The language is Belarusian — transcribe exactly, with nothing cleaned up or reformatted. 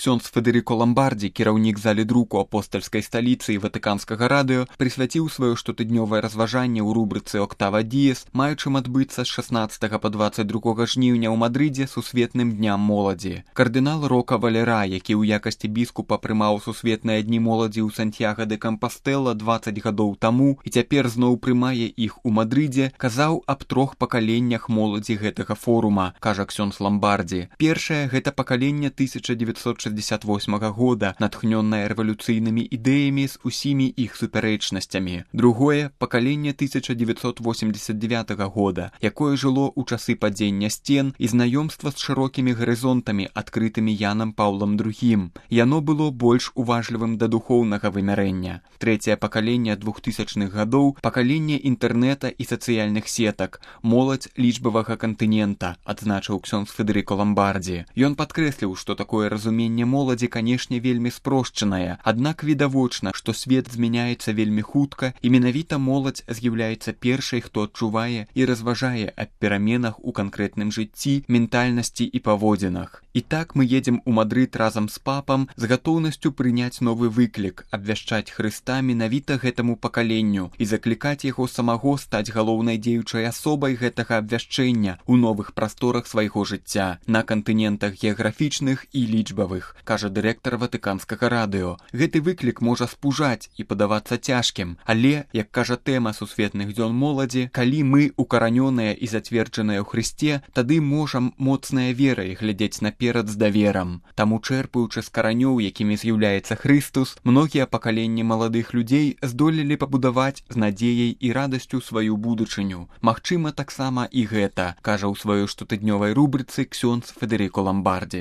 Ксёндз Федэрыко Ламбардзі, кіраўнік залі друку апостальскай сталіцы і ватыканскага радыё, прысвяціў сваё штотыднёвае разважанне ў рубрыцы «Октава Діес», маючым адбыцца з шаснаццатага па дваццаць другога жніўня ў Мадрыдзе сусветным дням моладзі. Кардынал Рока Валера, які ў якасці біскупа прымаў сусветныя дні моладзі ў Сантьяго де Кампастэла дваццаць гадоў таму і цяпер зноў прымае іх у Мадрыдзе, казаў аб трох пакаленнях моладзі гэтага форума, кажа ксёндз Ламбардзі. Першае – гэта пакаленне тысяча дзевяцьсот шэсцьдзесят восьмага года, натхнённае рэвалюцыйнымі ідэямі з усімі іх супярэчнасцямі. Другое – пакаленне тысяча дзевяцьсот восемьдесят девятага года, якое жыло ў часы падзення сцен і знаёмства з шырокімі гарызонтамі, адкрытымі Янам Паўлам другім. Яно было больш уважлівым да духоўнага вымярэння. Трэцяе пакаленне двухтысячных гадоў – пакаленне інтэрнэта і сацыяльных сетак, моладзь лічбавага кантынента, адзначыў ксёндз Федэрыко Ламбардзі. Ён падкрэсліў, што такое разуменне моладзі, канешне, вельмі спрошчанае, аднак відавочна, што свет змяняецца вельмі хутка і менавіта моладзь з'яўляецца першай, хто адчувае і разважае аб пераменах у канкрэтным жыцці, ментальнасці і паводзінах. І так мы едзем у Мадрыд разам з папам з гатоўнасцю прыняць новы выклік, абвяшчаць Хрыста менавіта гэтаму пакаленню і заклікаць яго самого стаць галоўнай дзеючай асобай гэтага абвяшчэння ў новых прасторах свайго жыцця, на кантынентах геаграфічных і лічбавых, кажа дырэктар ватыканскага радыё. Гэты выклік можа спужаць і падавацца цяжкім, але, як кажа тэма сусветных дзён моладзі, калі мы укаранёныя і зацверджаныя ў Хрысце, тады можам моцнай верай глядзець наперад з даверам. Таму, чэрпаючы з каранёў, якімі з'яўляецца Хрыстус, многія пакаленні маладых людзей здолелі пабудаваць з надзеяй і радасцю сваю будучыню. Магчыма, таксама і гэта, кажа ў сваёй штотыднёвай рубрыцы ксёндз Федэрыко Ламбардзі.